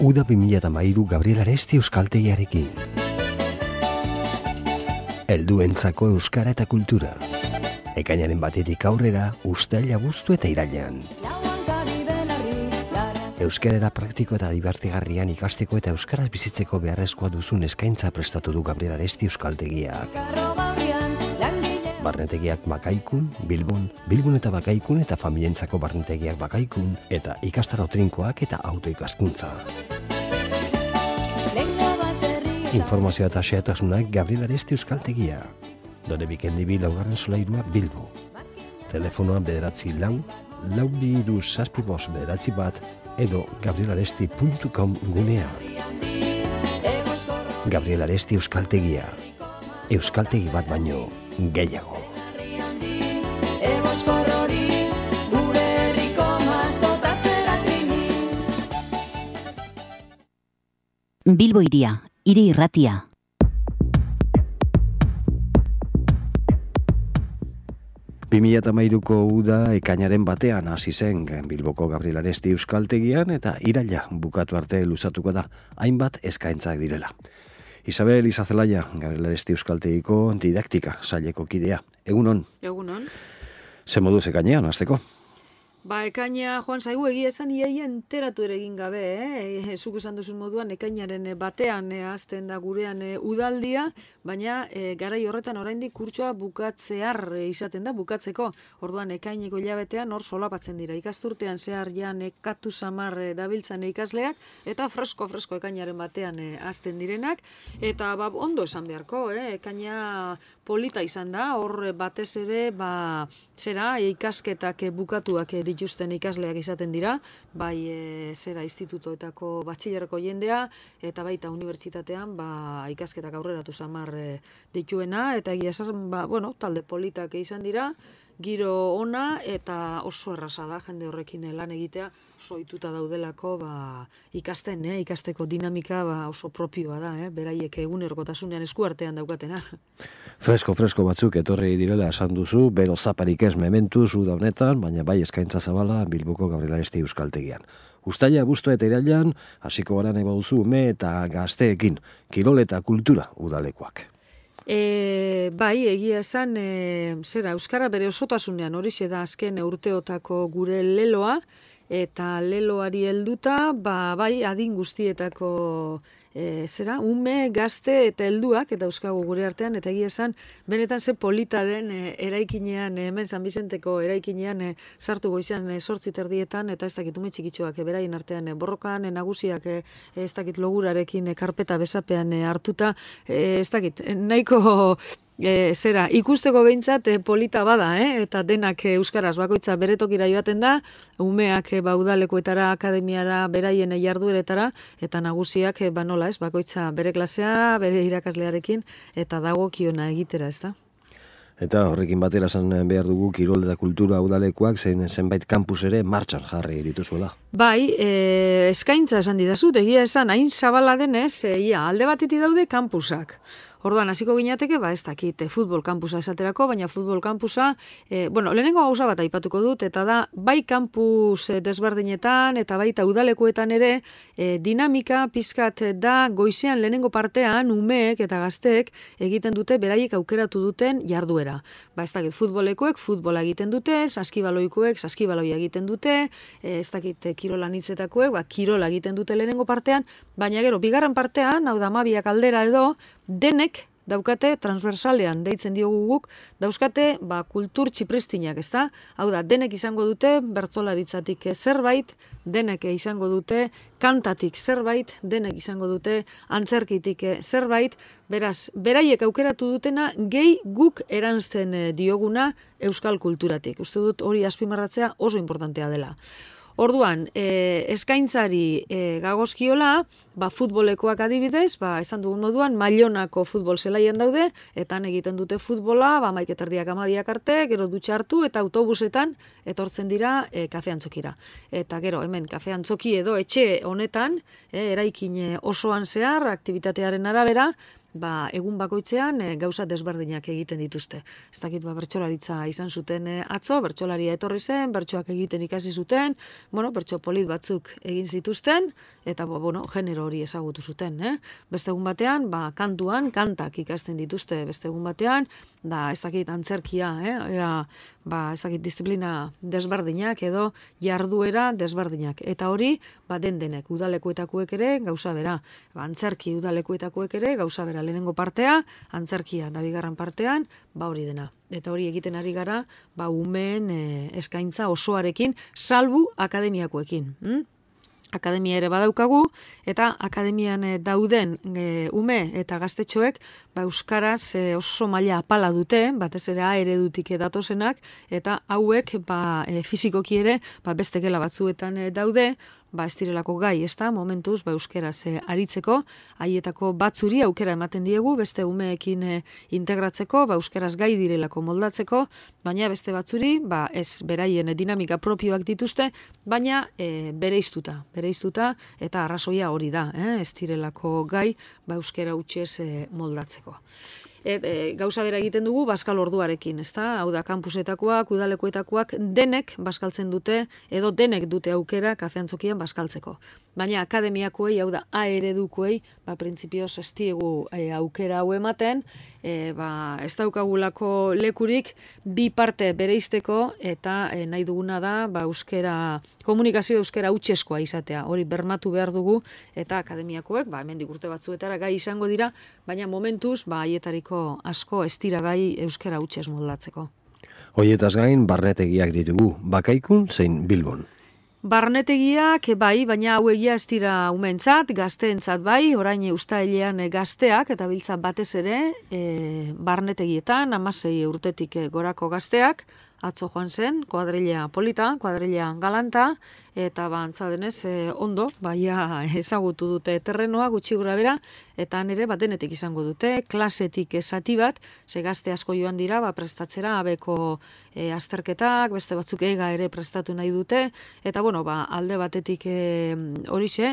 Uda 2013 Gabriel Aresti euskaltegiarekin. Helduentzako euskara eta kultura. Ekainaren batetik aurrera, uztaila, abuztu eta irailean. Euskarara praktiko eta dibertigarrian ikasteko eta euskaraz bizitzeko beharrezkoa duzun eskaintza prestatu du Gabriel Aresti euskaltegiak. Barnetegiak Bakaikun, Bilbon eta Bakaikun eta familientzako barnetegiak Bakaikun eta ikastaro trinkoak eta autoikaskuntza. Informazioa eta xehetasunak Gabriel Aresti euskaltegia. Dore Bikendibi laugarren solairua Bilbo. Telefonoa 9-4-2-6-7-9 edo gabrielaresti.com gunea. Gabriel Aresti euskaltegia. Euskaltegi bat baino gehiago. Bilbo hiria, hiri irratia. Ko uda ekainaren batean hasi zen Bilboko Gabriel Aresti euskaltegian eta iraila bukatu arte luzatuko da hainbat eskaintzak direla. Isabel Izazelaia, Gabriel Aresti euskaltegiko didaktika saileko kidea. Egunon? Egunon. Ze moduz ekainean, hasteko? Ekaina, Joan zaigu egia esan iaia enteratu ere egin gabe, zuk esan duzun moduan ekainaren batean hasten da gurean udaldia, baina garai horretan oraindik kurtsoa bukatzear izaten da, bukatzeko. Orduan ekaineko hilabetean hor solapatzen dira. Ikasturtean zehar ja nekatu samar dabiltzan ikasleak, eta fresko ekainaren batean hasten direnak, eta ondo esan beharko, ekaina polita izan da, hor batez ere, ikasketak bukatuak dituzten ikasleak izaten dira, bai institutoetako batxilerreko jendea, eta baita unibertsitatean ikasketak aurreratu samar dituena, eta egia esan, talde politak izan dira, giro ona eta oso erraza da jende horrekin lan egitea, soituta daudelako ikasteko dinamika oso propioa da, beraiek egunerokotasunean eskuartean daukatena. Fresko batzuk etorri direla esan duzu, bero zaparik ez mementuz uda honetan, baina bai eskaintza zabala Bilboko Gabriel Aresti euskaltegian. Uztaila, abuztu eta irailean, hasiko gara nahi baduzu ume eta gazteekin, kirol eta kultura udalekoak. Egia esan, euskara bere osotasunean horixe da azken urteotako gure leloa, eta leloari helduta, adin guztietako ume, gazte eta helduak, eta euskago gure artean, eta egia esan, benetan ze polita den eraikinean, hemen San Bizenteko eraikinean sartu goizean 8:00 eta ez dakit ume txikitxoak beraien artean borrokan, nagusiak ez dakit logurarekin karpeta besapean hartuta, ez dakit, nahiko ikusteko behintzat polita bada, eta denak euskaraz bakoitza bere tokira joaten da, umeak udalekoetara, akademiara, beraien jardueretara, eta nagusiak nola ez, bakoitza bere klasea, bere irakaslearekin, eta dagokiona egitera, ez da? Eta horrekin batera esan behar dugu kirol eta kultura udalekoak zenbait kampus ere martxan jarri dituzuela. Eskaintza esan didazut, egia esan, hain zabala denez, alde batetik daude kampusak. Orduan, hasiko ginateke, ez dakit, futbol kampusa esaterako, baina futbol kampusa, lehenengo gauza bat aipatuko dut, eta da, bai kampus desberdinetan, eta baita udalekoetan ere, dinamika pizkat da goizean lehenengo partean, umeek eta gazteek egiten dute, beraiek aukeratu duten jarduera. Ez dakit, futbolekoek futbola egiten dute, saskibaloikoek saskibaloia egiten dute, ez dakit, kirola nitzetakoek, kirola egiten dute lehenengo partean, baina gero, bigarren partean, hau da, 12 aldera edo, denek daukate transversalean deitzen diogu guk, dauzkate kultur txipristinak, ezta? Hau da, denek izango dute bertsolaritzatik zerbait, denek izango dute kantatik zerbait, denek izango dute antzerkitik zerbait, beraz, beraiek aukeratu dutena gehi guk eranzten dioguna euskal kulturatik. Uste dut hori azpimarratzea oso importantea dela. Orduan, eskaintzari gagozkiola, futbolekoak adibidez, esan dugun moduan, Mailonako futbol zelaian daude, eta han egiten dute futbola, 11:30 arte, gero dutxa hartu, eta autobusetan etortzen dira kafean txokira. Eta gero, hemen kafean txoki edo etxe honetan, eraikin osoan zehar, aktibitatearen arabera, egun bakoitzean gauza desberdinak egiten dituzte. Ez dakit bertsolaritza izan zuten atzo, bertsolaria etorri zen, bertsoak egiten ikasi zuten, bertso polit batzuk egin zituzten, eta genero hori ezagutu zuten. Beste egun batean, kantuan, kantak ikasten dituzte, beste egun batean, ez dakit antzerkia, ez dakit disiplina desberdinak edo jarduera desberdinak. Eta hori, den-denek, udalekuetakoek ere gauza bera. Antzerki udalekuetakoek ere gauza bera. Lehenengo partea, antzerkia, da bigarren partean, hori dena. Eta hori egiten ari gara, umeen eskaintza osoarekin, salbu akademiakoekin. Akademia ere badaukagu, eta akademian dauden ume eta gaztetxoek euskaraz oso maila apala dute, batez ere A eredutik datozenak, eta hauek fizikoki ere beste gela batzuetan daude, ez direlako gai, ez da, momentuz, euskeraz aritzeko, haietako batzuri aukera ematen diegu, beste umeekin integratzeko, euskaraz gai direlako moldatzeko, baina beste batzuri, ez beraien dinamika propioak dituzte, baina bereiztuta, eta arrazoia hori da, ez direlako gai, euskara hutsez moldatzeko. Gauza bera egiten dugu baskal orduarekin, ezta? Hau da, kampusetakoak, udalekuetakoak denek baskaltzen dute, edo denek dute aukera kafeantzokian baskaltzeko. Baina akademiakoei, hau da, A eredukoei, printzipioz ez diegu aukera hau ematen, ez daukagulako lekurik bi parte bereizteko, eta nahi duguna da, komunikazio euskara hutseskoa izatea. Hori bermatu behar dugu, eta akademiakoek, hemendik urte batzuetara gai izango dira, baina momentuz, haietariko asko ez dira gai euskara hutsez moldatzeko. Hoietaz gain, barnetegiak ditugu, Bakaikun zein Bilbon. Barnetegiak baina hau egia ez dira umentzat, gazteentzat orain uztailean gazteak, eta biltzat batez ere, barnetegietan, 16 urtetik gorako gazteak, atzo joan zen, kuadrilla polita, kuadrilla galanta, eta antza denez ondo, ezagutu dute terrenoa gutxi gura bera, eta nire denetik izango dute, klasetik zati bat, ze gazte asko joan dira, prestatzera abeko azterketak, beste batzuk ega ere prestatu nahi dute, eta alde batetik horixe,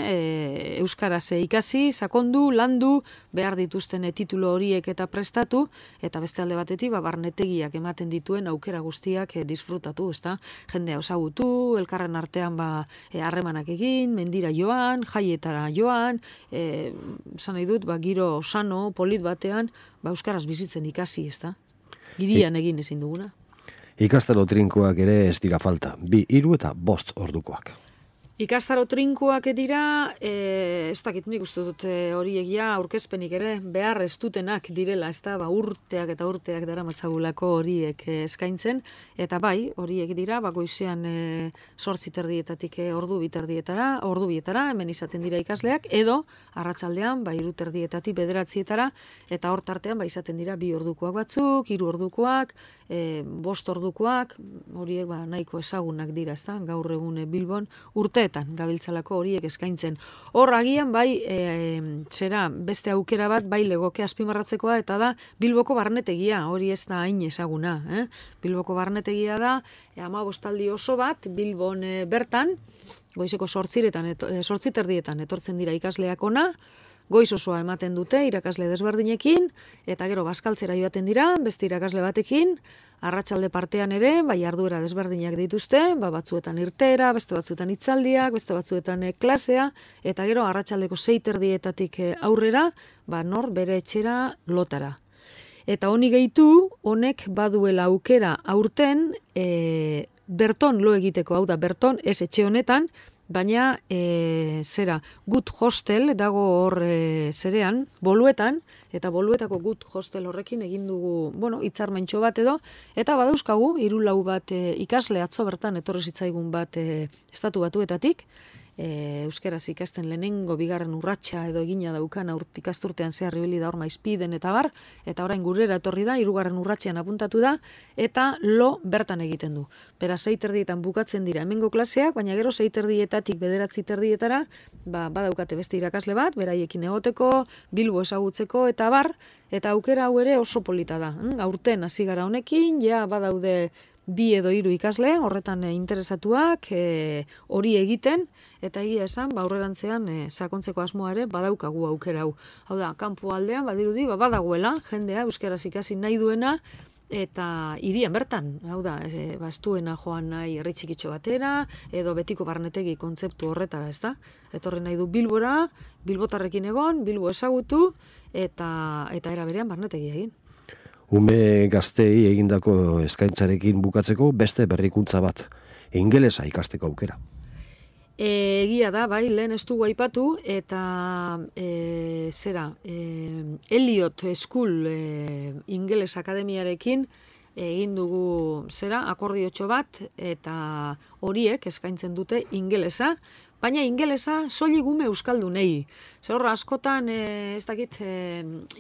euskaraz ikasi, sakondu, landu, behar dituzten titulu horiek eta prestatu, eta beste alde batetik barnetegiak ematen dituen aukera guztiak disfrutatu, ezta? Jendea ezagutu, elkarren artean harremanak egin, mendira joan, jaietara joan, esan nahi dut, giro sano, polit batean, euskaraz bizitzen ikasi, ezta? Hirian egin ezin duguna. Ikastaro trinkoak ere ez dira falta, 2, 3 eta 5 ordukoak. Ikastaro trinkoak dira, ez dakit nik uste dut hori egia aurkezpenik ere behar ez dutenak direla, ez da, urteak eta urteak daramatzagulako horiek eskaintzen, eta horiek dira, goizean 8:30 ordu bietara, hemen izaten dira ikasleak, edo arratsaldean 3:30 9:00, eta hor tartean izaten dira 2 ordukoak batzuk, 3 ordukoak, 5 ordukoak, horiek nahiko ezagunak dira, ez da, gaur egun Bilbon, urteetan gabiltzalako horiek eskaintzen. Hor agian zera beste aukera bat legoke azpimarratzekoa, eta da Bilboko barnetegia, hori ez da hain ezaguna. Bilboko barnetegia da 15 aldi oso bat Bilbon bertan, goizeko 8:30 etortzen dira ikasleak ona, goiz osoa ematen dute irakasle desberdinekin, eta gero bazkaltzera joaten dira, beste irakasle batekin, arratsalde partean ere, jarduera desberdinak dituzte, batzuetan irtera, beste batzuetan hitzaldiak, beste batzuetan klasea, eta gero arratsaldeko 6:30 aurrera, nor bere etxera lotara. Eta honi gehitu, honek baduela aukera aurten, berton lo egiteko, hau da, berton ez etxe honetan, baina Good Hostel dago hor zerean, Boluetan, eta Boluetako Good Hostel horrekin egin dugu, hitzarmentxo bat edo, eta badauzkagu, 3-4 bat ikasle atzo bertan etorri zitzaigun bat Estatu Batuetatik, euskaraz ikasten lehenengo bigarren urratsa edo egina daukan ikasturtean zehar ibili da hor Maizpiden eta bar, eta orain gurera etorri da, 3. urratsean apuntatu da, eta lo bertan egiten du. Beraz, 6:30 bukatzen dira hemengo klaseak, baina gero 6:30 9:30 badaukate beste irakasle bat, beraiekin egoteko, Bilbo ezagutzeko eta bar, eta aukera hau ere oso polita da. Aurten hasi gara honekin, badaude 2 edo 3 ikasle, horretan interesatuak, hori egiten, eta egia esan, aurrerantzean sakontzeko asmoa ere badaukagu aukera hau. Hau da, kanpo aldean, badirudi, badagoela, jendea euskaraz ikasi nahi duena, eta hirian bertan, hau da, estuena joan nahi herri txikitxo batera, edo betiko barnetegi kontzeptu horretara, ez da? Etorri nahi du Bilbora, bilbotarrekin egon, Bilbo ezagutu, eta era berean barnetegi egin. Ume gaztei egindako eskaintzarekin bukatzeko beste berrikuntza bat, ingelesa ikasteko aukera. Egia da, bai, lehen ez dugu aipatu, eta Elliot School Ingeles Akademiarekin egin dugu akordiotxo bat, eta horiek eskaintzen dute ingelesa, baina ingelesa soilik ume euskaldunei. Zer askotan, ez dakit,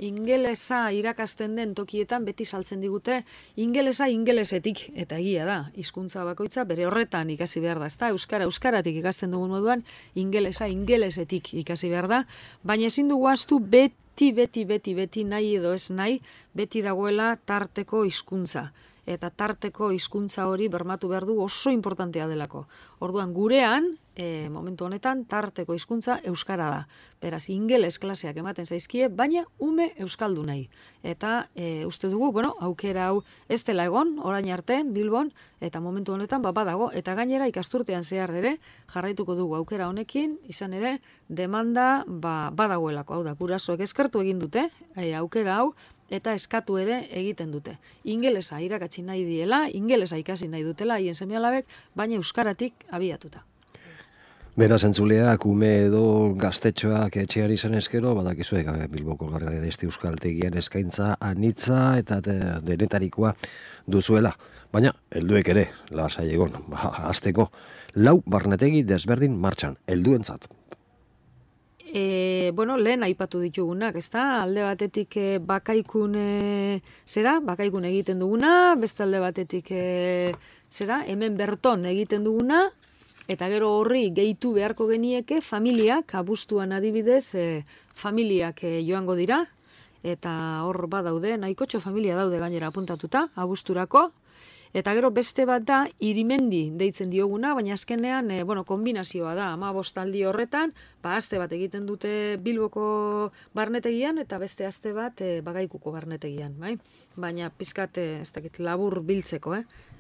ingelesa irakasten den tokietan beti saltzen digute ingelesa ingelesetik, eta egia da, hizkuntza bakoitza bere horretan ikasi behar da, ezta? Euskaratik ikasten dugun moduan, ingelesa ingelesetik ikasi behar da, baina ezin dugu ahaztu beti nahi edo ez nahi, beti dagoela tarteko hizkuntza. Eta tarteko hizkuntza hori bermatu behar du oso importantea delako. Orduan gurean, momentu honetan, tarteko hizkuntza euskara da. Beraz, ingeles klaseak ematen zaizkie, baina ume euskaldu nahi. Eta uste dugu, aukera hau ez dela egon, orain arte, Bilbon, eta momentu honetan badago, eta gainera ikasturtean zehar ere, jarraituko dugu aukera honekin, izan ere, demanda badagoelako. Hau da, gurasoek eskertu egin dute, aukera hau, eta eskatu ere egiten dute. Ingelesa irakatsi nahi diela, ingelesa ikasi nahi dutela, haien seme-alabek, baina euskaratik abiatuta. Beraz, entzuleak, ume edo gaztetxoak etxeari zen eskero, badakizuek Bilboko Garraialesti Euskaltegian eskaintza anitza eta denetarikoa duzuela. Baina, helduek ere, lasai egon, hasteko, 4 barnetegi desberdin martxan, helduentzat. Lehen aipatu ditugunak, ezta? Alde batetik bakaikun bakaikun egiten duguna, beste alde batetik hemen berton egiten duguna, eta gero horri gehitu beharko genieke familiak, abuztuan adibidez, familiak joango dira, eta hor badaude, nahikotxo familia daude gainera apuntatuta, abuzturako, eta gero beste bat da, irimendi deitzen dioguna, baina azkenean, kombinazioa da, 15 aldi horretan, aste bat egiten dute Bilboko barnetegian, eta beste aste bat Bakaikuko barnetegian, bai? Baina pizkat, ez dakit, labur biltzeko,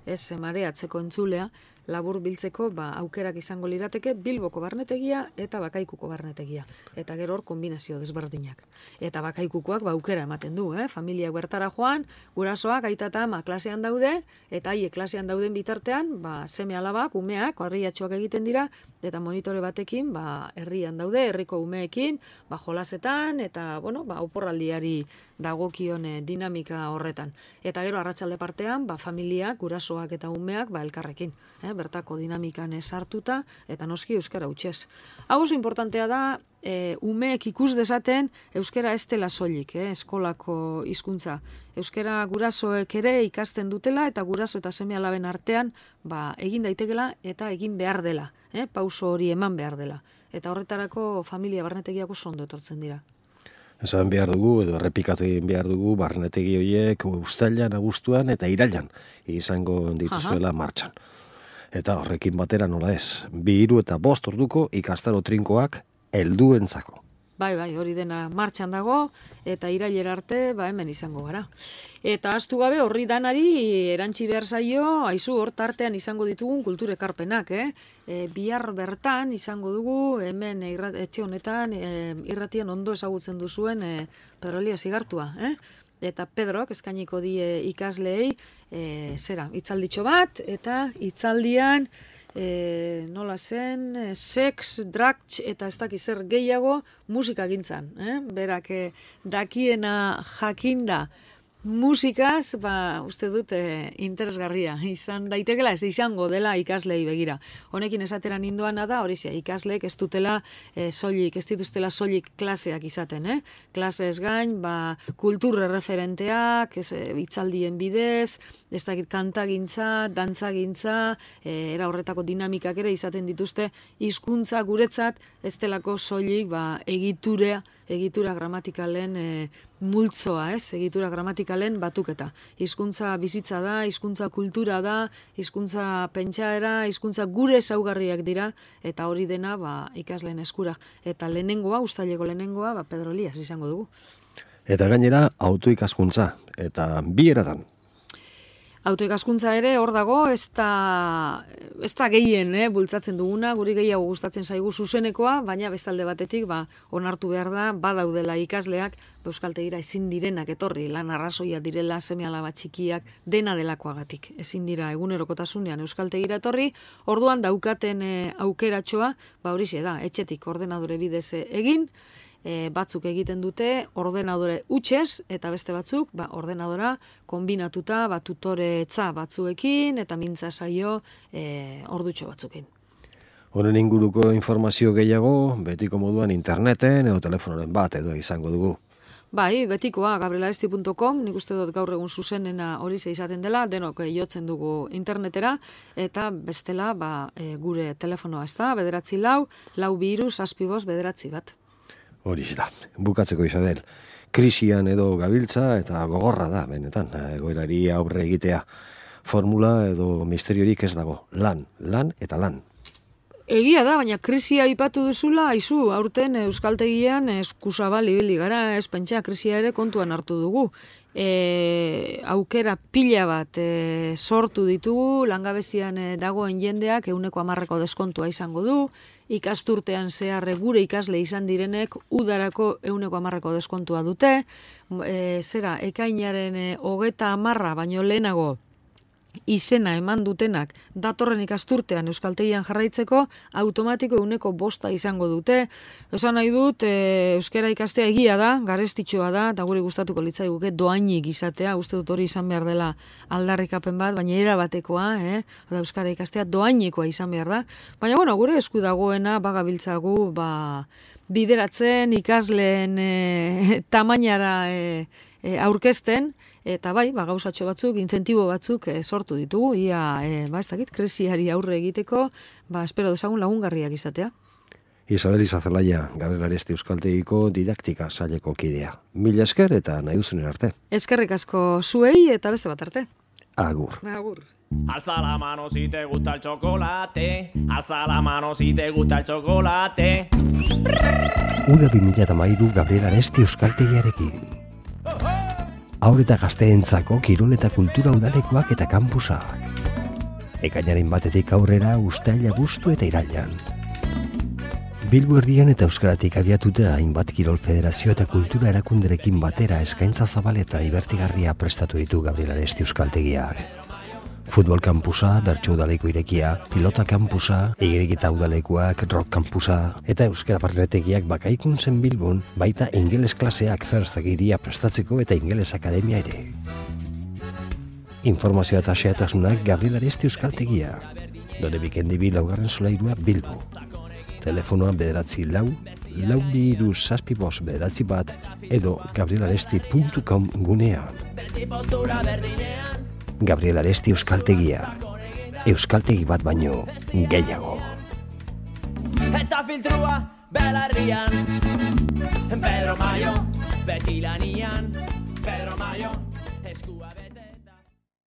ez mareatzeko entzulea, labur biltzeko aukerak izango lirateke Bilboko barnetegia eta Bakaikuko barnetegia. Eta gero hor kombinazio desberdinak. Eta Bakaikukoak aukera ematen du, familiak bertara joan, gurasoak, aita eta ama klasean daude, eta haiek klasean dauden bitartean, seme alabak, umeak, harriatxoak egiten dira, eta monitore batekin, herrian daude, herriko umeekin, jolasetan, eta, oporraldiari dagokion dinamika horretan. Eta gero arratsalde partean, familiak, gurasoak eta umeak, elkarrekin, bertako dinamikan sartuta, eta noski euskara hutsez. Hau oso importantea da, umeek ikus dezaten euskara ez dela soilik, eskolako hizkuntza. Euskara gurasoek ere ikasten dutela, eta guraso eta seme-alaben artean egin daitekela eta egin behar dela, pauso hori eman behar dela. Eta horretarako familia barnetegiako ondo etortzen dira. Esan behar dugu, edo errepikatu egin behar dugu, barnetegi horiek uztailan, abuztuan eta irailan izango dituzuela martxan. Eta horrekin batera nola ez, 2, 3 eta 5 orduko ikastaro trinkoak helduentzako. Bai, hori dena martxan dago, eta irailera arte, hemen izango gara. Eta ahaztu gabe horri danari erantzi behar zaio, aizu hor tartean izango ditugun kultur ekarpenak, bihar bertan izango dugu, hemen etxe honetan, irratian ondo ezagutzen duzuen Pedro Elias Igartua, Eta Pedrok eskainiko die ikasleei, hitzalditxo bat, eta hitzaldian, nola zen, sex, drugs eta ez dakiz zer gehiago musika gintzan. Berak dakiena jakinda musikaz, uste dut interesgarria. Izan daitekela, ez izango dela ikaslei begira. Honekin esatera nindoana da, hori ikasleek ez dutela soilik, ez dituztela soilik klaseak izaten. Klasez gain, kultur referenteak, hitzaldien bidez, ez dakit kantagintza, dantzagintza, era horretako dinamikak ere izaten dituzte, hizkuntza guretzat ez delako soilik egitura gramatikalen multzoa, egitura gramatikalen batuketa. Hizkuntza bizitza da, hizkuntza kultura da, hizkuntza pentsaera, hizkuntza gure ezaugarriak dira, eta hori dena ikasleen eskura. Eta lehenengoa, uztaileko lehenengoa, Pedro Elias izango dugu. Eta gainera, autoikaskuntza, eta bi eratan. Autoikaskuntza ere hor dago, ez da gehien bultzatzen duguna, guri gehiago gustatzen zaigu zuzenekoa, baina bestalde batetik onartu behar da, badaudela ikasleak, euskaltegira ezin direnak etorri, lan arrazoia direla, seme-alaba txikiak, dena delakoagatik. Ezin dira egunerokotasunean euskaltegira etorri, orduan daukaten aukeratxoa, horixe da, etxetik ordenadore bidez egin, batzuk egiten dute ordenadore utxez, eta beste batzuk ordenadora kombinatuta tutoretza batzuekin eta mintza saio ordutxo batzukin. Honen inguruko informazio gehiago, betiko moduan interneten edo telefonoren bat edo izango dugu. Bai, betikoa, gabrielaresti.com, nik uste dut gaur egun zuzenena hori izaten dela, denok jotzen dugu internetera, eta bestela gure telefonoa ez da, 944-232-759. Hori da, bukatzeko Isabel, krisian edo gabiltza eta gogorra da, benetan, egoerari aurre egitea. Formula edo misteriorik ez dago, lan eta lan. Egia da, baina krisia aipatu duzula, aizu, aurten euskaltegian eskusabal ibili gara, ez pentsa krisia ere kontuan hartu dugu. Aukera pila bat sortu ditugu, langabezian dagoen jendeak 100% deskontua izango du, ikasturtean zehar gure ikasle izan direnek udarako 100% deskontua dute, ekainaren 30 baino lehenago izena eman dutenak datorren ikasturtean euskaltegian jarraitzeko automatiko 100% izango dute. Esan nahi dut, euskara ikastea egia da, garestitxoa da, eta guri gustatuko litzaiguke doainik izatea, uste dut hori izan behar dela aldarrikapen bat, baina erabatekoa, euskara ikastea doainekoa izan behar da. Baina, gure esku dagoena bagabiltzagu bideratzen ikasleen tamainara aurkezten, eta gauzatxo batzuk, incentibo batzuk sortu ditugu, ez dakit, krisiari aurre egiteko, espero dezagun lagungarriak izatea. Isabel Izazelaia, Gabriel Aresti euskaltegiko didaktika saileko kidea. Mila esker eta nahi duzunen arte. Eskerrik asko zuei eta beste bat arte. Agur. Agur. Alza la mano si te gusta el chocolate, alza la mano si te gusta el chocolate. Uda 2013 Gabriel Aresti euskaltegiarekin. Haur eta gazteentzako kirol eta kultura udalekoak eta kampusak. Ekainaren batetik aurrera uztaila, abuztu eta irailean. Bilbo erdian eta euskaratik abiatuta hainbat kirol federazio eta kultura erakunderekin batera eskaintza zabal eta ibertigarria prestatu ditu Gabriel Aresti euskaltegiak. Futbol kampusa, bertso udaleko irekia, pilota kampusa, igeriketa udalekoak, rock kampusa, eta euskara barretegiak bakaikuntzen Bilbon, baita ingeles klaseak ferstagiria prestatzeko eta ingeles akademia ere. Informazioa eta xeatasunak Gabriel Aresti euskaltegia. Dore bikendibi 4. solairua Bilbo. Telefonoa 944-232-759 edo gabrielaresti.com gunean. Gabriel Aresti euskaltegia. Euskaltegi bat baino gehiago. Eta filtrua belarrian, Pedro Mayo, beti lanian, Pedro Mayo, eskua